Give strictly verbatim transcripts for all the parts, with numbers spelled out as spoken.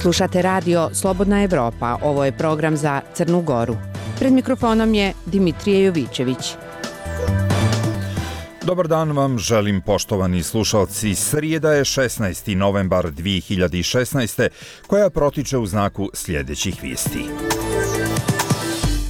Slušate radio Slobodna Evropa, ovo je program za Crnu Goru. Pred mikrofonom je Dimitrije Jovićević. Dobar dan vam želim, poštovani slušalci. Srijeda je šesnaesti novembar dvije hiljade šesnaeste. koja protiče u znaku sljedećih vijesti.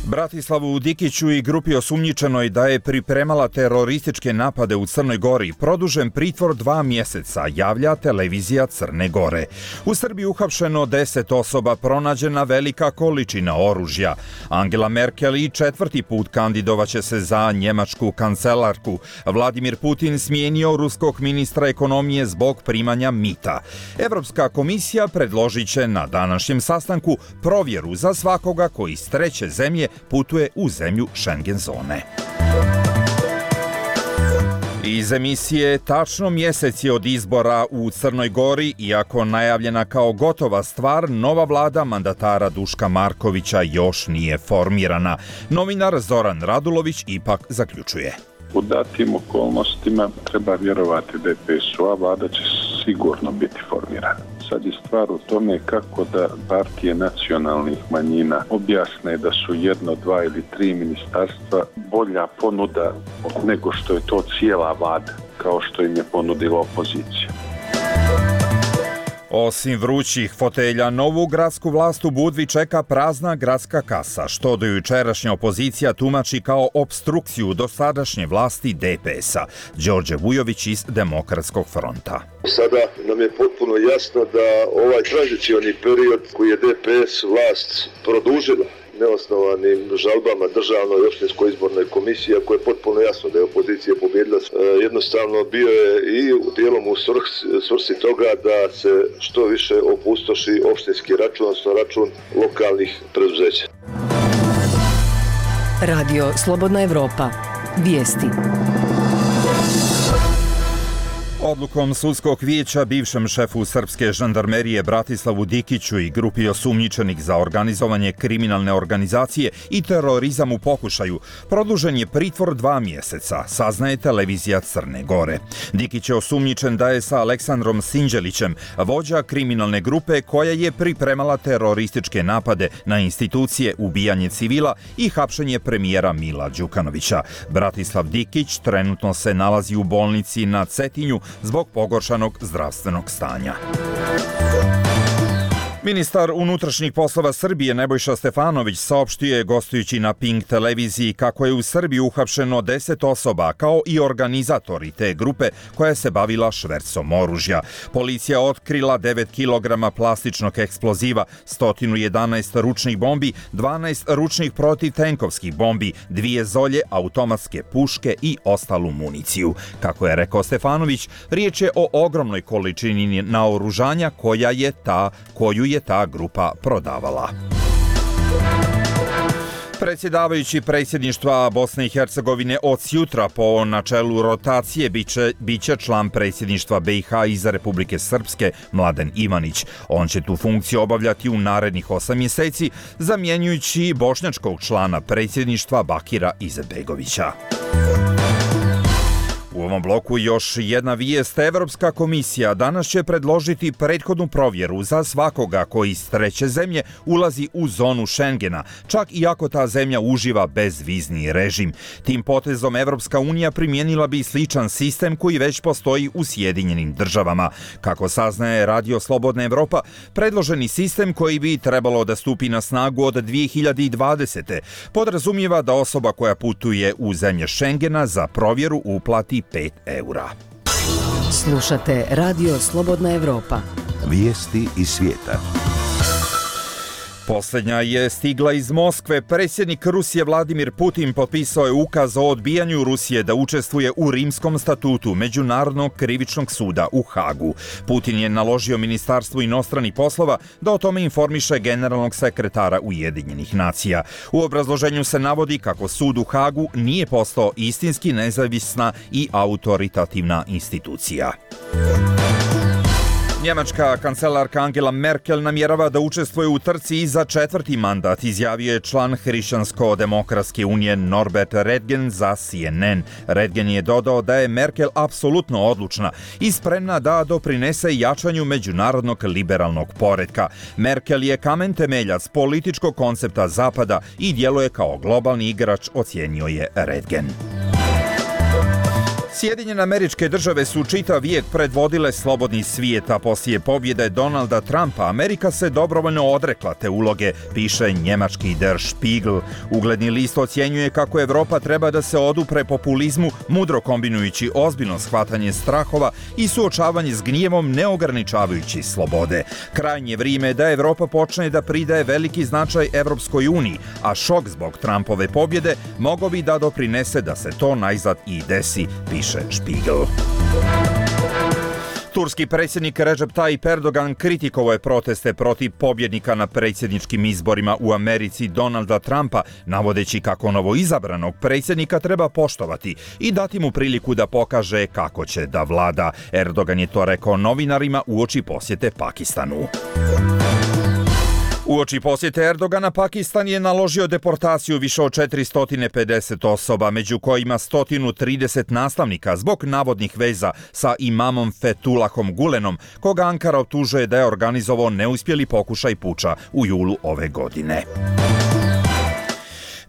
Bratislavu Dikiću i grupi osumnjičenoj da je pripremala terorističke napade u Crnoj Gori produžen pritvor dva mjeseca, javlja televizija Crne Gore. U Srbiji uhapšeno deset osoba, pronađena velika količina oružja. Angela Merkel i četvrti put kandidovaće se za njemačku kancelarku. Vladimir Putin smijenio ruskog ministra ekonomije zbog primanja mita. Evropska komisija predložit će na današnjem sastanku provjeru za svakoga koji iz treće zemlje putuje u zemlju Schengen zone. Iz emisije tačno mjesec je od izbora u Crnoj Gori, iako najavljena kao gotova stvar, nova vlada mandatara Duška Markovića još nije formirana. Novinar Zoran Radulović ipak zaključuje. U datim okolnostima treba vjerovati da je P S O, a vlada će sigurno biti formirana. Sad je stvar u tome kako da partije nacionalnih manjina objasne da su jedno, dva ili tri ministarstva bolja ponuda nego što je to cijela vlada, kao što im je ponudila opozicija. Osim vrućih fotelja, novu gradsku vlast u Budvi čeka prazna gradska kasa, što do jučerašnja opozicija tumači kao opstrukciju dosadašnje vlasti D P S-a. Đorđe Vujović iz Demokratskog fronta. Sada nam je potpuno jasno da ovaj tranzicioni period koji je D P S vlast produžila neosnovanim žalbama državnoj i opštinskoj izbornoj komisiji, ako je potpuno jasno da je opozicija pobjedila, jednostavno bio je i dijelom u svrsi toga da se što više opustoši opštinski račun, odnosno račun lokalnih preduzeća. Radio Slobodna Evropa. Vijesti. Odlukom sudskog vijeća bivšem šefu srpske žandarmerije Bratislavu Dikiću i grupi osumnjičenih za organizovanje kriminalne organizacije i terorizam u pokušaju produžen je pritvor dva mjeseca, saznaje televizija Crne Gore. Dikić je osumnjičen da je sa Aleksandrom Sinđelićem, vođa kriminalne grupe koja je pripremala terorističke napade na institucije, ubijanje civila i hapšenje premijera Mila Đukanovića. Bratislav Dikić trenutno se nalazi u bolnici na Cetinju zbog pogoršanog zdravstvenog stanja. Ministar unutrašnjih poslova Srbije Nebojša Stefanović saopštio je gostujući na Pink televiziji kako je u Srbiji uhapšeno deset osoba kao i organizatori te grupe koja se bavila švercom oružja. Policija otkrila devet kilograma plastičnog eksploziva, sto jedanaest ručnih bombi, dvanaest ručnih protivtenkovskih bombi, dvije zolje, automatske puške i ostalu municiju. Kako je rekao Stefanović, riječ je o ogromnoj količini naoružanja koja je ta, koju je ta grupa prodavala. Predsjedavajući predsjedništva Bosne i Hercegovine od jutra po načelu rotacije biće, biće član predsjedništva B i H iz Republike Srpske Mladen Ivanić. On će tu funkciju obavljati u narednih osam mjeseci, zamjenjujući bošnjačkog člana predsjedništva Bakira Izetbegovića. U ovom bloku još jedna vijest. Evropska komisija danas će predložiti prethodnu provjeru za svakoga koji iz treće zemlje ulazi u zonu Schengena, čak i ako ta zemlja uživa bezvizni režim. Tim potezom Evropska unija primijenila bi sličan sistem koji već postoji u Sjedinjenim državama. Kako saznaje Radio Slobodna Evropa, predloženi sistem koji bi trebalo da stupi na snagu od dvije hiljade dvadesete. podrazumijeva da osoba koja putuje u zemlje Schengena za provjeru uplati pet eura. Slušate Radio Slobodna Evropa. Vijesti iz svijeta. Posljednja je stigla iz Moskve. Predsjednik Rusije Vladimir Putin potpisao je ukaz o odbijanju Rusije da učestvuje u Rimskom statutu Međunarodnog krivičnog suda u Hagu. Putin je naložio Ministarstvu inostranih poslova da o tome informiše generalnog sekretara Ujedinjenih nacija. U obrazloženju se navodi kako sud u Hagu nije postao istinski nezavisna i autoritativna institucija. Njemačka kancelarka Angela Merkel namjerava da učestvuje u trci i za četvrti mandat, izjavio je član Hrišćansko-demokratske unije Norbert Redgen za C N N. Redgen je dodao da je Merkel apsolutno odlučna i spremna da doprinese jačanju međunarodnog liberalnog poretka. Merkel je kamen temeljac političkog koncepta Zapada i djeluje kao globalni igrač, ocijenio je Redgen. Sjedinjene Američke Države su čitav vijek predvodile slobodni svijet, a poslije pobjede Donalda Trumpa Amerika se dobrovoljno odrekla te uloge, piše njemački Der Spiegel. Ugledni list ocjenjuje kako Evropa treba da se odupre populizmu, mudro kombinujući ozbiljno shvatanje strahova i suočavanje s gnjevom neograničavajući slobode. Krajnje vrijeme da Evropa počne da pridaje veliki značaj Evropskoj uniji, a šok zbog Trumpove pobjede mogao bi da doprinese da se to najzad i desi, piše Spiegel. Turski predsjednik Recep Tayyip Erdogan kritikovao je proteste protiv pobjednika na predsjedničkim izborima u Americi Donalda Trumpa, navodeći kako novoizabranog predsjednika treba poštovati i dati mu priliku da pokaže kako će da vlada. Erdogan je to rekao novinarima uoči posjete Pakistanu. Uoči posjete Erdogana, Pakistan je naložio deportaciju više od četiristo pedeset osoba, među kojima sto trideset nastavnika zbog navodnih veza sa imamom Fethullahom Gulenom, koga Ankara optužuje da je organizovao neuspjeli pokušaj puča u julu ove godine.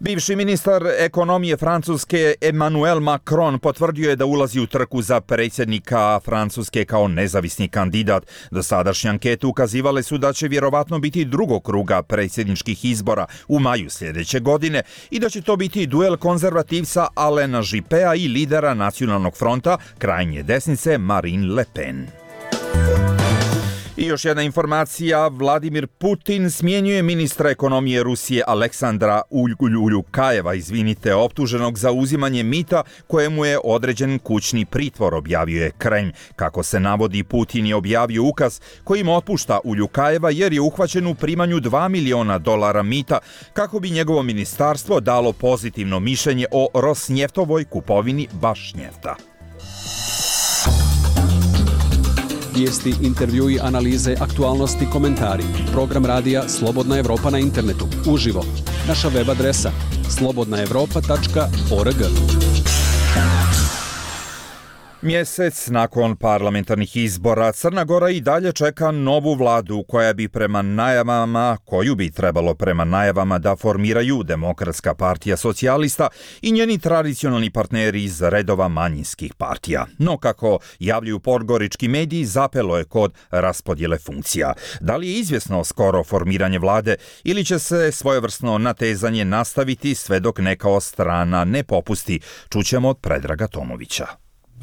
Bivši ministar ekonomije Francuske Emmanuel Macron potvrdio je da ulazi u trku za predsjednika Francuske kao nezavisni kandidat. Dosadašnje ankete ukazivale su da će vjerovatno biti drugog kruga predsjedničkih izbora u maju sljedeće godine i da će to biti duel konzervativca Alena Juppea i lidera Nacionalnog fronta krajnje desnice Marine Le Pen. I još jedna informacija, Vladimir Putin smjenjuje ministra ekonomije Rusije Aleksandra Uljukajeva, izvinite, optuženog za uzimanje mita kojemu je određen kućni pritvor, objavio je Kremlj. Kako se navodi, Putin je objavio ukaz kojim otpušta Uljukajeva jer je uhvaćen u primanju dva miliona dolara mita kako bi njegovo ministarstvo dalo pozitivno mišljenje o Rosnjeftovoj kupovini Bašnjefta. Vijesti, intervjui, analize, aktualnosti, komentari. Program radija Slobodna Evropa na internetu. Uživo. Naša web adresa slobodna evropa tačka org. Mjesec nakon parlamentarnih izbora Crna Gora i dalje čeka novu vladu koja bi prema najavama, koju bi trebalo prema najavama da formiraju Demokratska partija socijalista i njeni tradicionalni partneri iz redova manjinskih partija. No, kako javljaju podgorički mediji, zapelo je kod raspodjele funkcija. Da li je izvjesno skoro formiranje vlade ili će se svojevrsno natezanje nastaviti sve dok neka od strana ne popusti? Čućemo od Predraga Tomovića.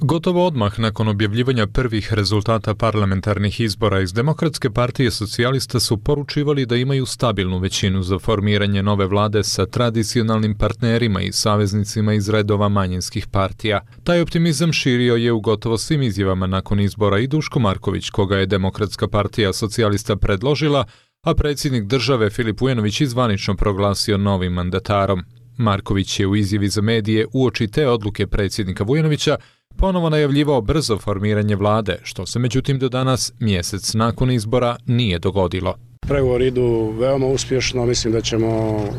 Gotovo odmah nakon objavljivanja prvih rezultata parlamentarnih izbora iz Demokratske partije socijalista su poručivali da imaju stabilnu većinu za formiranje nove vlade sa tradicionalnim partnerima i saveznicima iz redova manjinskih partija. Taj optimizam širio je u gotovo svim izjavama nakon izbora i Duško Marković, koga je Demokratska partija socijalista predložila, a predsjednik države Filip Vujanović izvanično proglasio novim mandatarom. Marković je u izjavi za medije uoči te odluke predsjednika Vujanovića ponovo najavljivao brzo formiranje vlade, što se međutim do danas, mjesec nakon izbora, nije dogodilo. Pregovori idu veoma uspješno, mislim da ćemo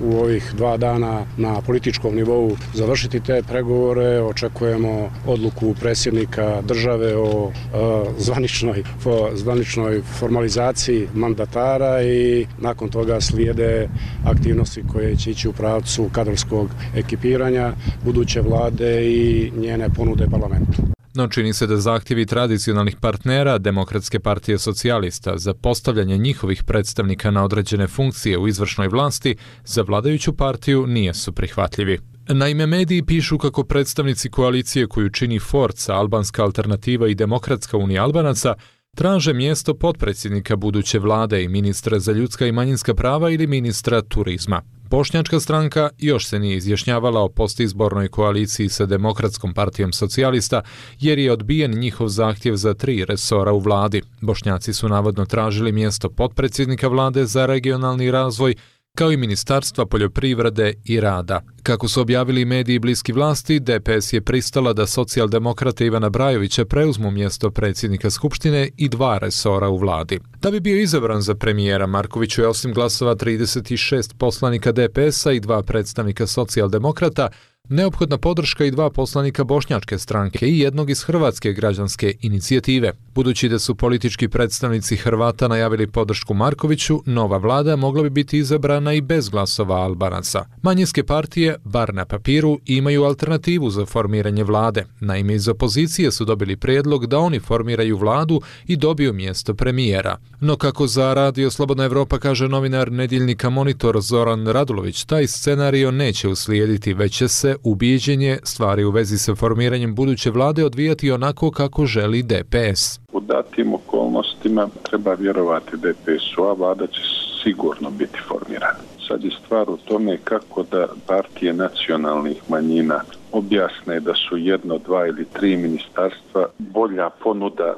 u ovih dva dana na političkom nivou završiti te pregovore, očekujemo odluku predsjednika države o e, zvaničnoj, fo, zvaničnoj formalizaciji mandatara i nakon toga slijede aktivnosti koje će ići u pravcu kadrovskog ekipiranja buduće vlade i njene ponude parlamentu. No čini se da zahtjevi tradicionalnih partnera Demokratske partije socijalista za postavljanje njihovih predstavnika na određene funkcije u izvršnoj vlasti za vladajuću partiju nisu prihvatljivi. Naime, mediji pišu kako predstavnici koalicije koju čini Forca, Albanska alternativa i Demokratska unija Albanaca traže mjesto potpredsjednika buduće vlade i ministra za ljudska i manjinska prava ili ministra turizma. Bošnjačka stranka još se nije izjašnjavala o postizbornoj koaliciji sa Demokratskom partijom socijalista jer je odbijen njihov zahtjev za tri resora u vladi. Bošnjaci su navodno tražili mjesto potpredsjednika vlade za regionalni razvoj, kao i Ministarstva poljoprivrede i rada. Kako su objavili mediji bliski vlasti, D P S je pristala da socijaldemokrate Ivana Brajovića preuzmu mjesto predsjednika Skupštine i dva resora u vladi. Da bi bio izabran za premijera, Markoviću je osim glasova trideset šest poslanika D P S-a i dva predstavnika socijaldemokrata neophodna podrška i dva poslanika bošnjačke stranke i jednog iz Hrvatske građanske inicijative. Budući da su politički predstavnici Hrvata najavili podršku Markoviću, nova vlada mogla bi biti izabrana i bez glasova Albanaca. Manjinske partije, bar na papiru, imaju alternativu za formiranje vlade. Naime, iz opozicije su dobili prijedlog da oni formiraju vladu i dobiju mjesto premijera. No kako za Radio Slobodna Evropa kaže novinar nedjeljnika Monitor Zoran Radulović, taj scenario neće uslijediti, već će se ubijeđenje stvari u vezi sa formiranjem buduće vlade odvijati onako kako želi D P S. U datim okolnostima treba vjerovati D P S-u, a vlada će sigurno biti formirana. Sad je stvar u tome kako da partije nacionalnih manjina objasne da su jedno, dva ili tri ministarstva bolja ponuda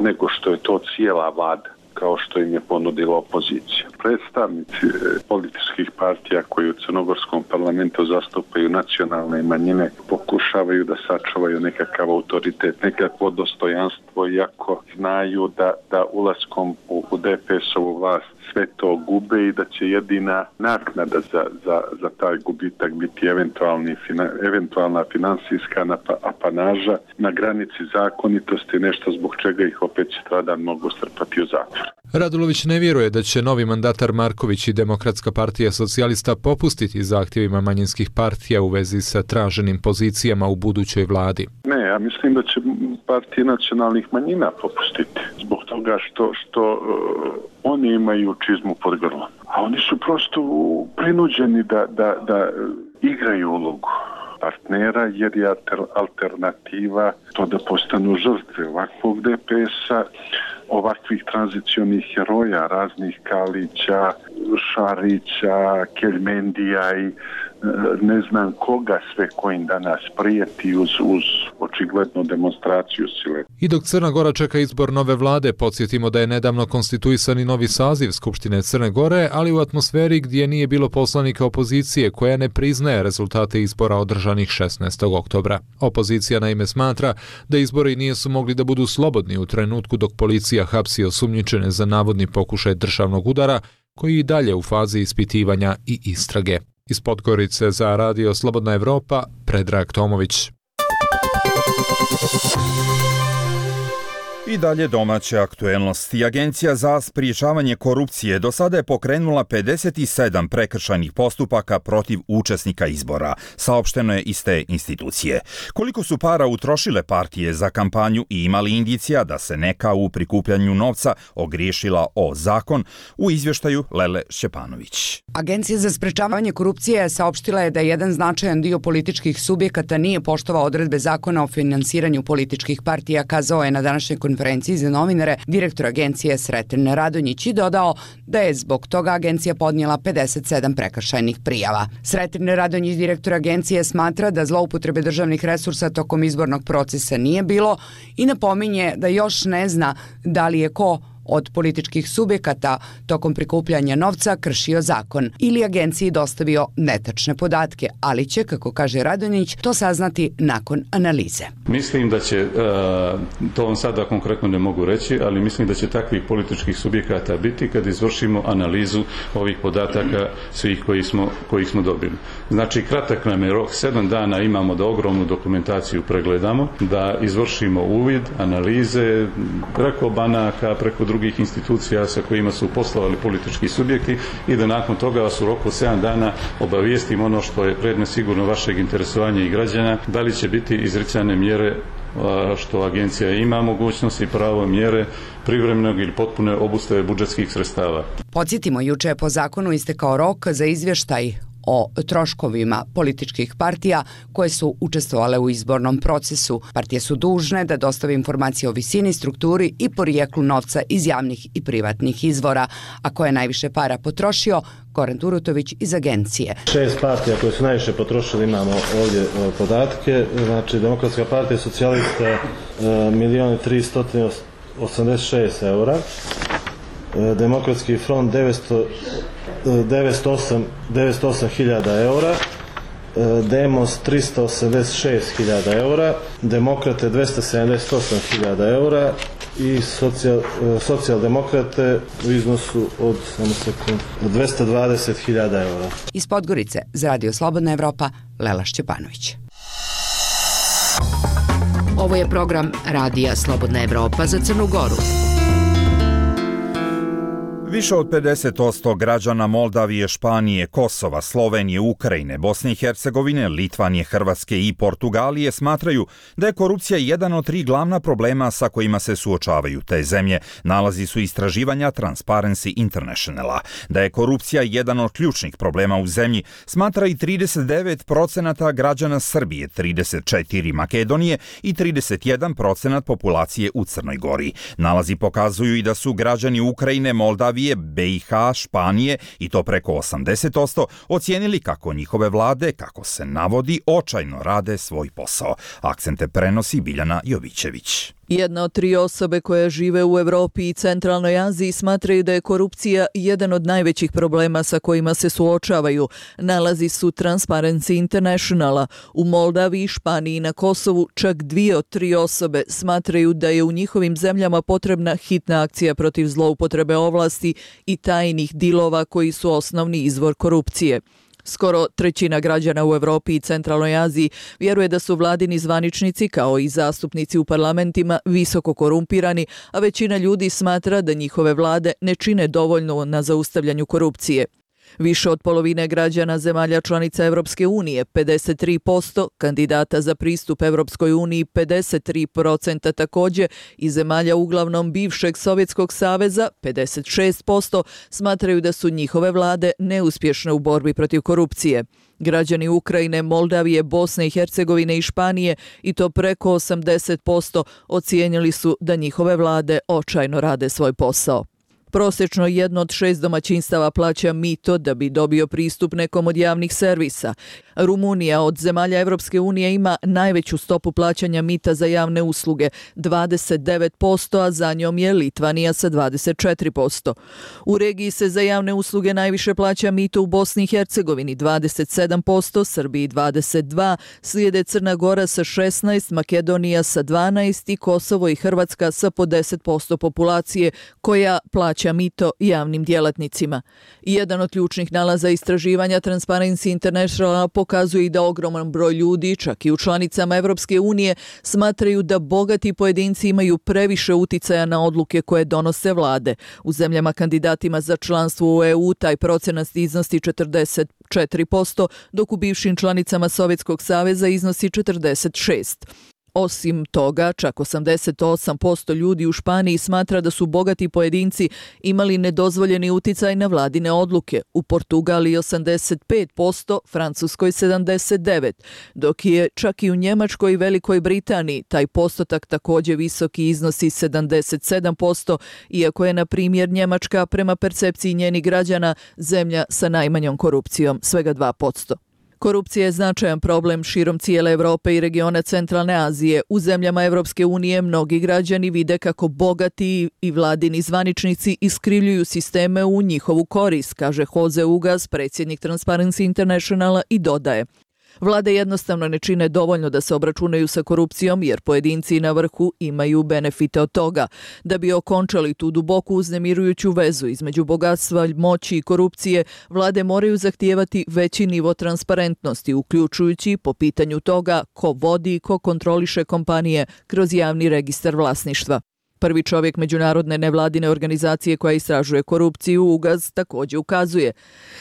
nego što je to cijela vlada, kao što im je ponudila opozicija. Predstavnici političkih partija koji u crnogorskom parlamentu zastupaju nacionalne manjine pokušavaju da sačuvaju nekakav autoritet, nekakvo dostojanstvo, iako znaju da, da ulaskom u, u D P S-ovu vlast sve to gube i da će jedina naknada za, za, za taj gubitak biti eventualni, fina, eventualna finansijska apanaža na granici zakonitosti, nešto zbog čega ih opet sutradan mogu strpati u zatvor. Radulović ne vjeruje da će novi mandatar Marković i Demokratska partija socijalista popustiti zahtjevima manjinskih partija u vezi sa traženim pozicijama u budućoj vladi. Ne, ja mislim da će partije nacionalnih manjina popustiti zbog toga što, što uh, oni imaju čizmu pod grlom. A oni su prosto prinuđeni da, da, da igraju ulogu partnera jer je alternativa to da postanu žrtve ovakvog D P S-a, ovakvih tranzicionih heroja, raznih Kalića, Šarića, Keljmendija i ne znam koga sve kojim danas prijeti uz, uz očiglednu demonstraciju sile. I dok Crna Gora čeka izbor nove vlade, podsjetimo da je nedavno konstituisani novi saziv Skupštine Crne Gore, ali u atmosferi gdje nije bilo poslanika opozicije koja ne priznaje rezultate izbora održanih šesnaestog oktobra. Opozicija naime smatra da izbori nisu mogli da budu slobodni u trenutku dok policija hapsi osumnjičene za navodni pokušaj državnog udara, koji i dalje u fazi ispitivanja i istrage. Iz Podgorice za Radio Slobodna Evropa, Predrag Tomović. I dalje domaće aktuelnosti. Agencija za spriječavanje korupcije do sada je pokrenula pedeset sedam prekršajnih postupaka protiv učesnika izbora, saopšteno je iz te institucije. Koliko su para utrošile partije za kampanju i imali indicija da se neka u prikupljanju novca ogriješila o zakon, u izvještaju Lele Šćepanović. Agencija za sprečavanje korupcije saopštila je da jedan značajan dio političkih subjekata nije poštovao odredbe zakona o finansiranju političkih partija, kazao je na današnjoj konferenciji za novinare direktor agencije Sreten Radonjić i dodao da je zbog toga agencija podnijela pedeset sedam prekršajnih prijava. Sreten Radonjić, direktor agencije, smatra da zloupotrebe državnih resursa tokom izbornog procesa nije bilo i napominje da još ne zna da li je ko od političkih subjekata tokom prikupljanja novca kršio zakon ili agenciji dostavio netačne podatke, ali će, kako kaže Radonjić, to saznati nakon analize. Mislim da će, to vam sada konkretno ne mogu reći, ali mislim da će takvih političkih subjekata biti kad izvršimo analizu ovih podataka svih koji smo, kojih smo dobili. Znači, kratak nam je rok, sedam dana imamo da ogromnu dokumentaciju pregledamo, da izvršimo uvid, analize, preko banaka, preko drugih institucija sa kojima su poslovali politički subjekti i da nakon toga vas u roku sedam dana obavijestim ono što je predmet sigurno vašeg interesovanja i građana, da li će biti izricane mjere što agencija ima mogućnost i pravo mjere privremenog ili potpune obustave budžetskih sredstava. Podsjetimo, juče je po zakonu istekao rok za izvještaj o troškovima političkih partija koje su učestvovale u izbornom procesu. Partije su dužne da dostave informacije o visini, strukturi i porijeklu novca iz javnih i privatnih izvora, a ko je najviše para potrošio, Goran Turutović iz agencije. Šest partija koje su najviše potrošili, imamo ovdje podatke, znači Demokratska partija socijalista milion tristo osamdeset šest eura, Demokratski front devetsto devetsto osam hiljada eura, Demos tristo osamdeset šest hiljada eura, Demokrate dvesta sedamdeset osam hiljada eura i socijal, socijaldemokrate u iznosu od samo sekund, dvesta dvadeset hiljada eura. Iz Podgorice za Radio Slobodna Evropa, Lela Šćepanović. Ovo je program Radija Slobodna Evropa za Crnu Goru. Više od pedeset posto građana Moldavije, Španije, Kosova, Slovenije, Ukrajine, Bosne i Hercegovine, Litvanije, Hrvatske i Portugalije smatraju da je korupcija jedan od tri glavna problema sa kojima se suočavaju te zemlje. Nalazi su istraživanja Transparency Internationala. Da je korupcija jedan od ključnih problema u zemlji, smatra i trideset devet procenata građana Srbije, trideset četiri Makedonije i trideset jedan procenat populacije u Crnoj Gori. Nalazi pokazuju i da su građani Ukrajine, Moldavije, B i H, Španije i to preko osamdeset posto ocijenili kako njihove vlade, kako se navodi, očajno rade svoj posao. Akcente prenosi Biljana Jovićević. Jedna od tri osobe koje žive u Evropi i Centralnoj Aziji smatraju da je korupcija jedan od najvećih problema sa kojima se suočavaju. Nalazi su Transparency Internationala. U Moldaviji, Španiji i na Kosovu čak dvije od tri osobe smatraju da je u njihovim zemljama potrebna hitna akcija protiv zloupotrebe ovlasti i tajnih dilova koji su osnovni izvor korupcije. Skoro trećina građana u Evropi i Centralnoj Aziji vjeruje da su vladini zvaničnici kao i zastupnici u parlamentima visoko korumpirani, a većina ljudi smatra da njihove vlade ne čine dovoljno na zaustavljanju korupcije. Više od polovine građana zemalja članica Evropske unije, pedeset tri posto, kandidata za pristup Evropskoj uniji, pedeset tri posto također, i zemalja uglavnom bivšeg Sovjetskog saveza, pedeset šest posto, smatraju da su njihove vlade neuspješne u borbi protiv korupcije. Građani Ukrajine, Moldavije, Bosne i Hercegovine i Španije, i to preko osamdeset posto, ocijenili su da njihove vlade očajno rade svoj posao. Prosječno jedno od šest domaćinstava plaća mito da bi dobio pristup nekom od javnih servisa. Rumunija od zemalja Evropske unije ima najveću stopu plaćanja mita za javne usluge, dvadeset devet posto, a za njom je Litvanija sa dvadeset četiri posto. U regiji se za javne usluge najviše plaća mito u Bosni i Hercegovini, dvadeset sedam posto, Srbiji dvadeset dva posto, slijede Crna Gora sa šesnaest posto, Makedonija sa dvanaest posto i Kosovo i Hrvatska sa po deset posto populacije koja plaća mito javnim djelatnicima. Jedan od ključnih nalaza istraživanja Transparency International pokazuje i da ogroman broj ljudi, čak i u članicama Evropske unije, smatraju da bogati pojedinci imaju previše uticaja na odluke koje donose vlade. U zemljama kandidatima za članstvo u E U taj procenat iznosi četrdeset četiri posto, dok u bivšim članicama Sovjetskog saveza iznosi četrdeset šest posto. Osim toga, čak osamdeset osam posto ljudi u Španiji smatra da su bogati pojedinci imali nedozvoljeni uticaj na vladine odluke. U Portugaliji osamdeset pet posto, Francuskoj sedamdeset devet posto, dok je čak i u Njemačkoj i Velikoj Britaniji taj postotak također visoki, iznosi sedamdeset sedam posto, iako je, na primjer, Njemačka prema percepciji njenih građana zemlja sa najmanjom korupcijom, svega dva posto. Korupcija je značajan problem širom cijele Evrope i regiona Centralne Azije. U zemljama Evropske unije mnogi građani vide kako bogati i vladini zvaničnici iskrivljuju sisteme u njihovu korist, kaže Jose Ugas, predsjednik Transparency Internationala, i dodaje: vlade jednostavno ne čine dovoljno da se obračunaju sa korupcijom jer pojedinci na vrhu imaju benefite od toga. Da bi okončali tu duboku uznemirujuću vezu između bogatstva, moći i korupcije, vlade moraju zahtijevati veći nivo transparentnosti, uključujući po pitanju toga ko vodi i ko kontroliše kompanije kroz javni registar vlasništva. Prvi čovjek međunarodne nevladine organizacije koja istražuje korupciju, Ugaz, također ukazuje: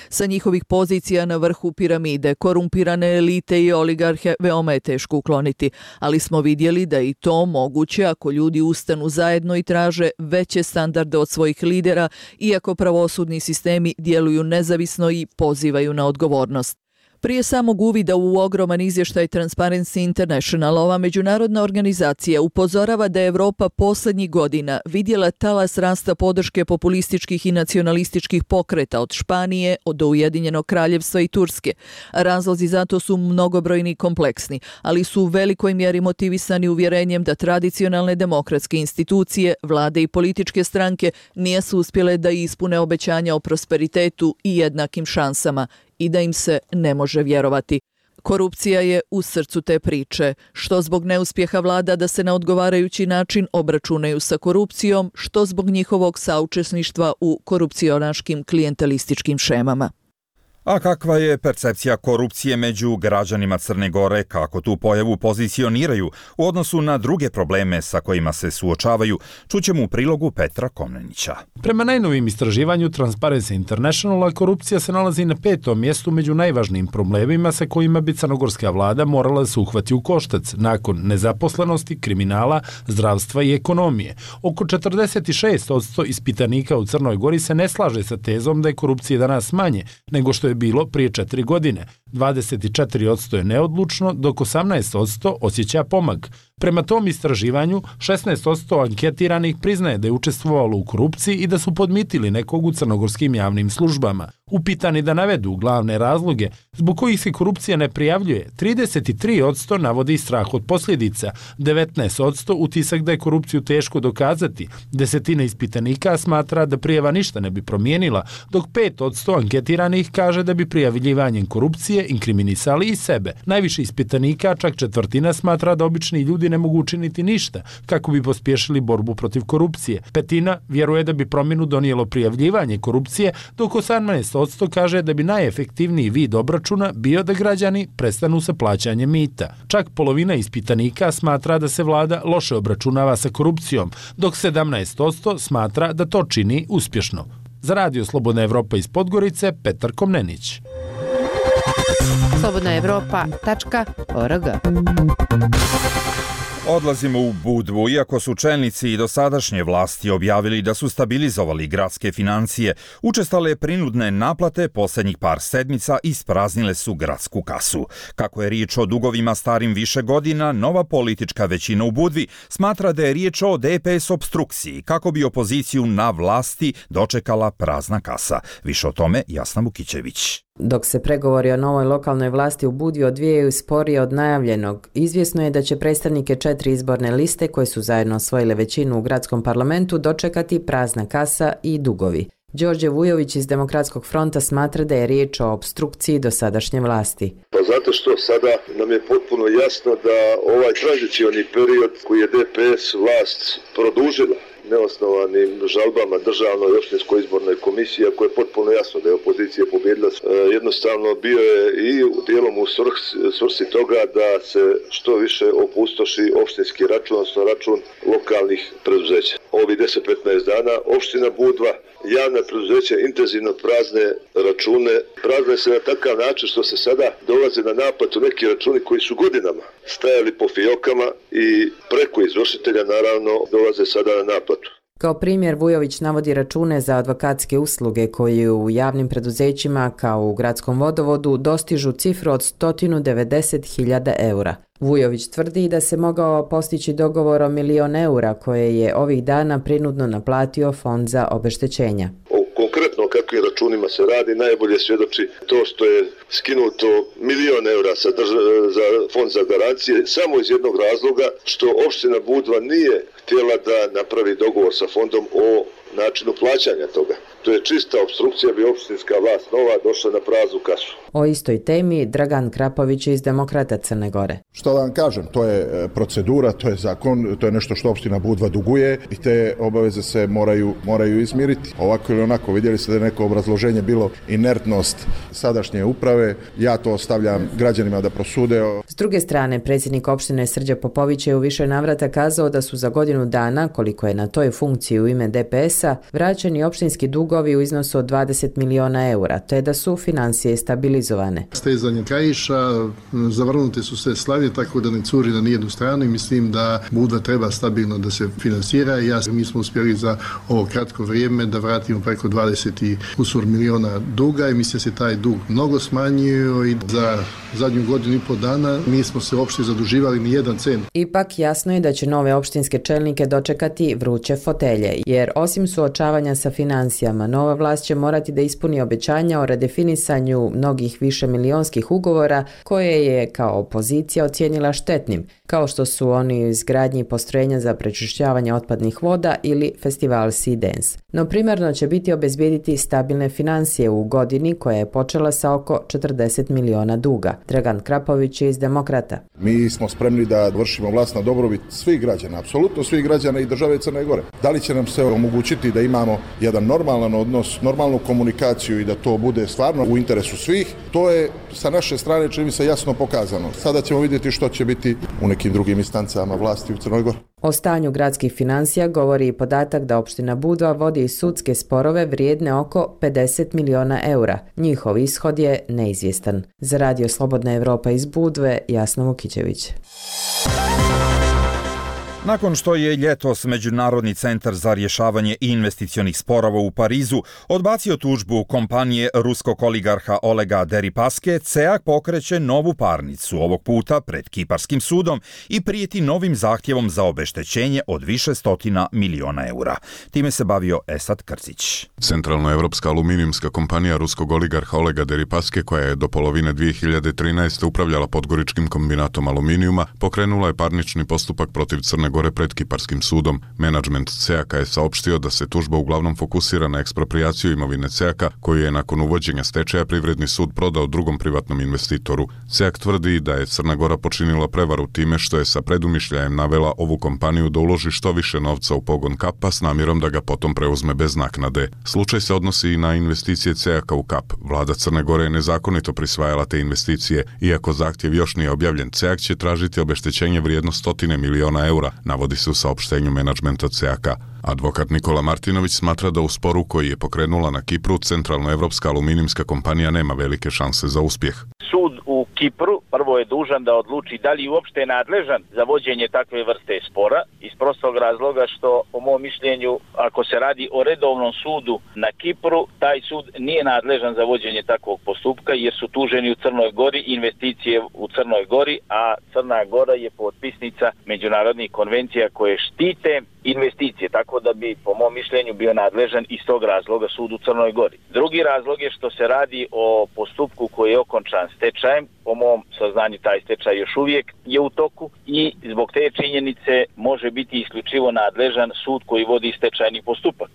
sa njihovih pozicija na vrhu piramide korumpirane elite i oligarhe veoma je teško ukloniti, ali smo vidjeli da je i to moguće ako ljudi ustanu zajedno i traže veće standarde od svojih lidera, iako pravosudni sistemi djeluju nezavisno i pozivaju na odgovornost. Prije samog uvida u ogroman izvještaj Transparency International, ova međunarodna organizacija upozorava da je Evropa posljednjih godina vidjela talas rasta podrške populističkih i nacionalističkih pokreta od Španije, od Ujedinjenog kraljevstva i Turske. Razlozi za to su mnogobrojni i kompleksni, ali su u velikoj mjeri motivisani uvjerenjem da tradicionalne demokratske institucije, vlade i političke stranke nisu uspjele da ispune obećanja o prosperitetu i jednakim šansama i da im se ne može vjerovati. Korupcija je u srcu te priče, što zbog neuspjeha vlada da se na odgovarajući način obračunaju sa korupcijom, što zbog njihovog saučesništva u korupcionaškim klijentelističkim šemama. A kakva je percepcija korupcije među građanima Crne Gore, kako tu pojavu pozicioniraju u odnosu na druge probleme sa kojima se suočavaju, čućemo u prilogu Petra Komnenića. Prema najnovim istraživanju Transparency Internationala, korupcija se nalazi na petom mjestu među najvažnijim problemima sa kojima bi crnogorska vlada morala da se uhvati u koštac nakon nezaposlenosti, kriminala, zdravstva i ekonomije. Oko četrdeset šest posto ispitanika u Crnoj Gori se ne slaže sa tezom da je korupcija danas manje nego što je bilo prije četiri godine. dvadeset četiri posto je neodlučno, dok osamnaest posto osjeća pomak. Prema tom istraživanju, šesnaest posto anketiranih priznaje da je učestvovalo u korupciji i da su podmitili nekog u crnogorskim javnim službama. Upitani da navedu glavne razloge zbog kojih se korupcija ne prijavljuje, trideset tri posto navodi strah od posljedica, devetnaest posto utisak da je korupciju teško dokazati, desetina ispitanika smatra da prijava ništa ne bi promijenila, dok pet posto anketiranih kaže da bi prijavljivanjem korupcije inkriminisali i sebe. Najviše ispitanika, čak četvrtina, smatra da obični ljudi ne mogu učiniti ništa kako bi pospješili borbu protiv korupcije. Petina vjeruje da bi promjenu donijelo prijavljivanje korupcije, dok osamnaest posto kaže da bi najefektivniji vid obračuna bio da građani prestanu sa plaćanjem mita. Čak polovina ispitanika smatra da se vlada loše obračunava sa korupcijom, dok sedamnaest posto smatra da to čini uspješno. Za Radio Slobodna Evropa iz Podgorice, Petar Komnenić. slobodna evropa tačka org. Odlazimo u Budvu, iako su čelnici i dosadašnje vlasti objavili da su stabilizovali gradske financije, učestale prinudne naplate posljednjih par sedmica ispraznile su gradsku kasu. Kako je riječ o dugovima starim više godina, nova politička većina u Budvi smatra da je riječ o D P S opstrukciji, kako bi opoziciju na vlasti dočekala prazna kasa. Više o tome Jasna Vukićević. Dok se pregovori o novoj lokalnoj vlasti u Budvi odvijaju sporije od najavljenog, izvjesno je da će predstavnike četiri izborne liste koje su zajedno osvojile većinu u gradskom parlamentu dočekati prazna kasa i dugovi. Đorđe Vujović iz Demokratskog fronta smatra da je riječ o opstrukciji dosadašnje vlasti. Pa zato što sada nam je potpuno jasno da ovaj tranzicioni period koji je D P S vlast produžila neosnovanim žalbama državnoj i opštinskoj izbornoj komisiji, ako je potpuno jasno da je opozicija pobjedila, jednostavno bio je i dijelom u svrsi toga da se što više opustoši opštinski račun, odnosno račun lokalnih preduzeća. Ovi deset do petnaest dana opština Budva, javna preduzeća intenzivno prazne račune, prazne se na takav način što se sada dolaze na naplatu neki računi koji su godinama stajali po fijokama i preko izvršitelja naravno dolaze sada na naplatu. Kao primjer Vujović navodi račune za advokatske usluge koji u javnim preduzećima kao u gradskom vodovodu dostižu cifru od sto devedeset hiljada eura. Vujović tvrdi da se mogao postići dogovor o milion eura koje je ovih dana prinudno naplatio Fond za obeštećenja. Konkretno o kakvim računima se radi najbolje svjedoči to što je skinuto milion eura sa drža- za Fond za garancije samo iz jednog razloga što opština Budva nije htjela da napravi dogovor sa fondom o načinu plaćanja toga. To je čista opstrukcija, bi opštinska vlast nova došla na praznu kasu. O istoj temi Dragan Krapović iz Demokrata Crne Gore. Što da vam kažem, to je procedura, to je zakon, to je nešto što opština Budva duguje i te obaveze se moraju, moraju izmiriti. Ovako ili onako, vidjeli ste da je neko obrazloženje bilo inertnost sadašnje uprave, ja to ostavljam građanima da prosude. S druge strane, predsjednik opštine Srđan Popović je u više navrata kazao da su za godinu dana, koliko je na toj funkciji u ime D P S-a, vraćeni opštinski dug dugovi u iznosu od dvadeset miliona eura, te da su financije stabilizovane. Stezanje kaiša, zavrnute su sve slavije, tako da ne curi na nijednu stranu i mislim da Budva treba stabilno da se finansira. Ja, mi smo uspjeli za ovo kratko vrijeme da vratimo preko dvadeset i kusur miliona duga i mislim da se taj dug mnogo smanjio i za zadnju godinu i pol dana nismo se uopšte zaduživali ni jedan cent. Ipak jasno je da će nove opštinske čelnike dočekati vruće fotelje, jer osim suočavanja sa financijama, nova vlast će morati da ispuni obećanja o redefinisanju mnogih višemilionskih ugovora koje je kao opozicija ocijenila štetnim, kao što su oni u izgradnji postrojenja za prečišćavanje otpadnih voda ili festival Sea Dance. No primarno će biti obezbijediti stabilne financije u godini koja je počela sa oko četrdeset miliona duga. Dragan Krapović je iz Demokrata. Mi smo spremni da vršimo vlast na dobrobit svih građana, apsolutno svih građana i države Crne Gore. Da li će nam se omogućiti da imamo jedan normalan odnos, normalnu komunikaciju i da to bude stvarno u interesu svih, to je sa naše strane čini mi se jasno pokazano. Sada ćemo vidjeti što će biti u nekim drugim instancama vlasti u Crnoj Gori. O stanju gradskih financija govori i podatak da opština Budva vodi sudske sporove vrijedne oko pedeset miliona eura. Njihov ishod je neizvjestan. Za Radio Slobodna Evropa iz Budve, Jasna Vukićević. Nakon što je ljetos Međunarodni centar za rješavanje investicionih sporova u Parizu odbacio tužbu kompanije ruskog oligarha Olega Deripaske, C E A K pokreće novu parnicu, ovog puta pred Kiparskim sudom i prijeti novim zahtjevom za obeštećenje od više stotina miliona eura. Time se bavio Esad Krcić. Centralnoevropska aluminijumska kompanija ruskog oligarha Olega Deripaske, koja je do polovine dvije hiljade trinaeste. upravljala Podgoričkim kombinatom aluminijuma, pokrenula je parnični postupak protiv Crne Gore pred Kiparskim sudom. Menadžment C E A K je saopštio da se tužba uglavnom fokusira na eksproprijaciju imovine C E A K, koju je nakon uvođenja stečaja Privredni sud prodao drugom privatnom investitoru. C E A K tvrdi da je Crna Gora počinila prevaru time što je sa predumišljajem navela ovu kompaniju da uloži što više novca u pogon Kapa s namjerom da ga potom preuzme bez naknade. Slučaj se odnosi i na investicije C E A K u Kap. Vlada Crne Gore je nezakonito prisvajala te investicije. Iako zahtjev još nije objavljen, C E A K će tražiti obeštećenje vrijedno stotine miliona eura, navodi se u saopštenju menadžmenta C E A K-a. Advokat Nikola Martinović smatra da u sporu koji je pokrenula na Kipru Centralnoevropska aluminijumska kompanija nema velike šanse za uspjeh. Sud u Kipru prvo je dužan da odluči da li uopšte je nadležan za vođenje takve vrste spora, iz prostog razloga što, po mom mišljenju, ako se radi o redovnom sudu na Kipru, taj sud nije nadležan za vođenje takvog postupka jer su tuženi u Crnoj Gori investicije u Crnoj Gori, a Crna Gora je potpisnica međunarodnih konvencija koje štite investicije, tako da bi, po mom mišljenju, bio nadležan iz tog razloga sud u Crnoj Gori. Drugi razlog je što se radi o postupku koji je okončan stečajem. Po mom saznanju taj stečaj još uvijek je u toku i zbog te činjenice može biti isključivo nadležan sud koji vodi stečajni postupak.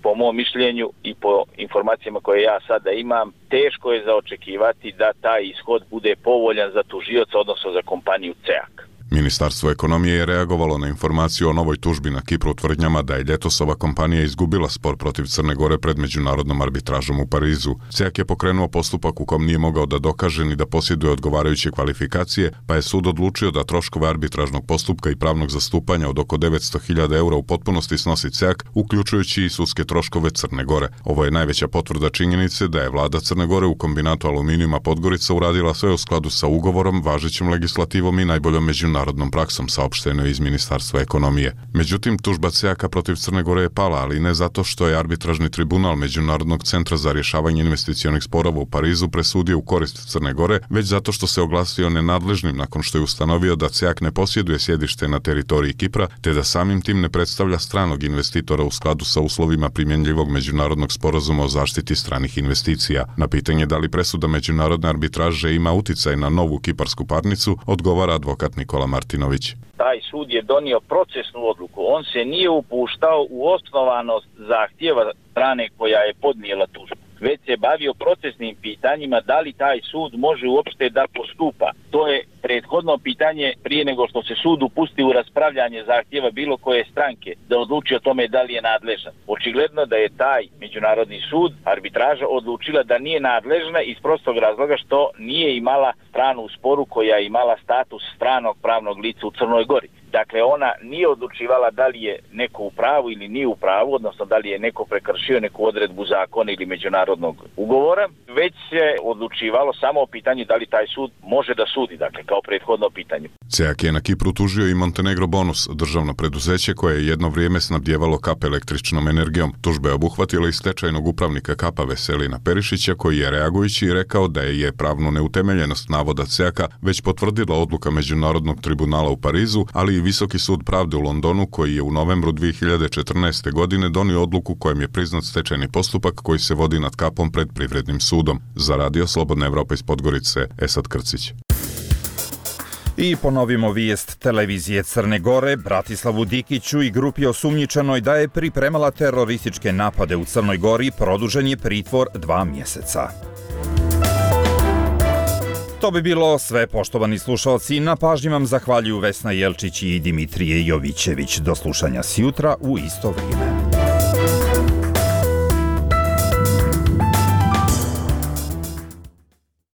Po mom mišljenju i po informacijama koje ja sada imam, teško je za očekivati da taj ishod bude povoljan za tužioca, odnosno za kompaniju C E A K. Ministarstvo ekonomije je reagovalo na informaciju o novoj tužbi na Kipru tvrdnjama da je ljetosova kompanija izgubila spor protiv Crne Gore pred međunarodnom arbitražom u Parizu. C E A K je pokrenuo postupak u kom nije mogao da dokaže ni da posjeduje odgovarajuće kvalifikacije, pa je sud odlučio da troškove arbitražnog postupka i pravnog zastupanja od oko devetsto hiljada eura u potpunosti snosi C E A K, uključujući i sudske troškove Crne Gore. Ovo je najveća potvrda činjenice da je vlada Crne Gore u kombinatu aluminijuma Podgorica uradila sve u skladu sa ugovorom, važećom legislativom i najboljom međunarodnom narodnom praksom, saopšteno iz Ministarstva ekonomije. Međutim, tužba C E A K protiv Crne Gore je pala, ali ne zato što je arbitražni tribunal Međunarodnog centra za rješavanje investicionih sporova u Parizu presudio u korist Crne Gore, već zato što se oglasio nenadležnim nakon što je ustanovio da C E A K ne posjeduje sjedište na teritoriji Kipra, te da samim tim ne predstavlja stranog investitora u skladu sa uslovima primjenjivog međunarodnog sporazuma o zaštiti stranih investicija. Na pitanje da li presuda međunarodne arbitraže ima uticaj na novu kiparsku parnicu, odgovara advokat Nikola Martinović. Taj sud je donio procesnu odluku. On se nije upuštao u osnovanost zahtjeva strane koja je podnijela tužbu, već se bavio procesnim pitanjima da li taj sud može uopšte da postupa. To je prethodno pitanje prije nego što se sud upusti u raspravljanje zahtjeva bilo koje stranke da odluči o tome da li je nadležan. Očigledno da je taj međunarodni sud, arbitraža, odlučila da nije nadležna iz prostog razloga što nije imala stranu u sporu koja je imala status stranog pravnog lica u Crnoj Gori. Dakle, ona nije odlučivala da li je neko u pravu ili nije u pravu, odnosno da li je neko prekršio neku odredbu zakona ili međunarodnog ugovora, već se odlučivalo samo o pitanju da li taj sud može da sudi, dakle, kao prethodno pitanje. CEAK je na Kipru tužio i Montenegro Bonus, državno preduzeće koje je jedno vrijeme snabdjevalo Kap električnom energijom. Tužba je obuhvatila i stečajnog upravnika Kapa Veselina Perišića, koji je reagujući rekao da je pravnu neutemeljenost navoda CEAK-a već potvrdila odluka Međunarodnog tribunala u Parizu, ali i Visoki sud pravde u Londonu, koji je u novembru dvije hiljade četrnaeste. godine donio odluku kojom je priznat stečajni postupak koji se vodi nad Kapom pred Privrednim sudom. Za Radio Slobodna Evropa iz Podgorice, Esad Krcić. I ponovimo vijest televizije Crne Gore. Bratislavu Dikiću i grupi osumnjičenoj da je pripremala terorističke napade u Crnoj Gori produžen je pritvor dva mjeseca. To bi bilo sve, poštovani slušalci. Na pažnji vam zahvaljuju Vesna Jelčić i Dimitrije Jovićević. Do slušanja sjutra u isto vrijeme.